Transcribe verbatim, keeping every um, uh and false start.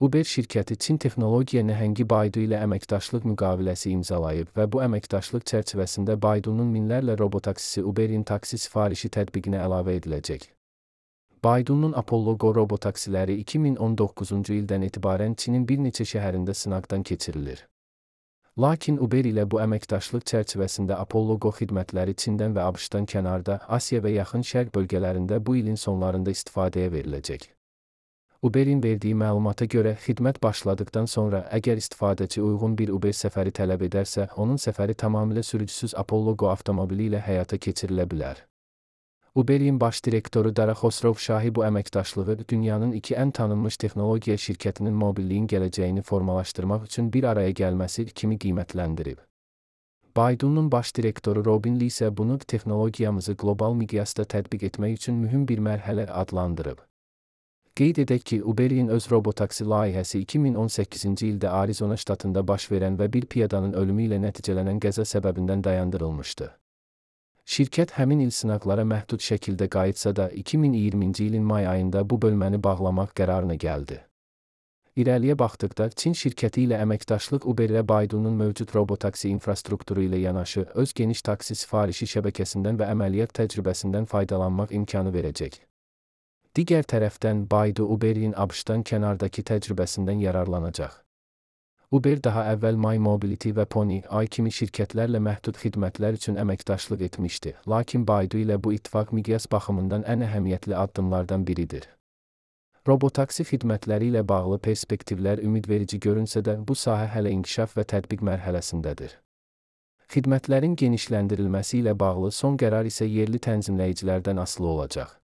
Uber şirkəti Çin texnologiya nəhəngi Baidu ilə əməkdaşlıq müqaviləsi imzalayıb və bu əməkdaşlıq çərçivəsində Baidunun minlərlə robotaksisi Uberin taksi sifarişi tətbiqinə əlavə ediləcək. Baidunun Apollo Go robotaksiləri iki min on doqquzuncu ildən etibarən Çinin bir neçə şəhərində sınaqdan keçirilir. Lakin Uber ilə bu əməkdaşlıq çərçivəsində Apollo Go xidmətləri Çindən və ABŞ-dan kənarda, Asiya və Yaxın Şərq bölgələrində bu ilin sonlarında istifadəyə veriləcək. Uberin verdiyi məlumata görə, xidmət başladıqdan sonra əgər istifadəçi uyğun bir Uber səfəri tələb edərsə, onun səfəri tamamilə sürücüsüz Apollo Go avtomobili ilə həyata keçirilə bilər. Uberin baş direktoru Dara Xosrov-Şahi bu əməkdaşlığı dünyanın iki ən tanınmış texnologiya şirkətinin mobilliyin gələcəyini formalaşdırmaq üçün bir araya gəlməsi kimi qiymətləndirib. Baidunun baş direktoru Robin Li isə bunu texnologiyamızı qlobal miqyasda tətbiq etmək üçün mühüm bir mərhələ adlandırıb. Qeyd edək ki, Uberin öz robotaksi layihəsi iki min on səkkizinci ildə Arizona ştatında baş verən və bir piyadanın ölümü ilə nəticələnən qəza səbəbindən dayandırılmışdı. Şirkət həmin il sınaqlara məhdud şəkildə qayıtsa da, iki min iyirminci ilin may ayında bu bölməni bağlamaq qərarına gəldi. İrəliyə baxdıqda, Çin şirkəti ilə əməkdaşlıq Uberə Baidunun mövcud robotaksi infrastrukturu ilə yanaşı, öz geniş taksi sifarişi şəbəkəsindən və əməliyyat təcrübəsindən faydalanmaq imkanı verəcək. Digər tərəfdən, Baidu Uberin ABŞ-dan kənardakı təcrübəsindən yararlanacaq. Uber daha əvvəl My Mobility və Pony Ai kimi şirkətlərlə məhdud xidmətlər üçün əməkdaşlıq etmişdi, lakin Baidu ilə bu ittifaq miqyas baxımından ən əhəmiyyətli addımlardan biridir. Robotaksi xidmətləri ilə bağlı perspektivlər ümidverici görünsə də, bu sahə hələ inkişaf və tətbiq mərhələsindədir. Xidmətlərin genişləndirilməsi ilə bağlı son qərar isə yerli tənzimləyicilərdən asılı olacaq.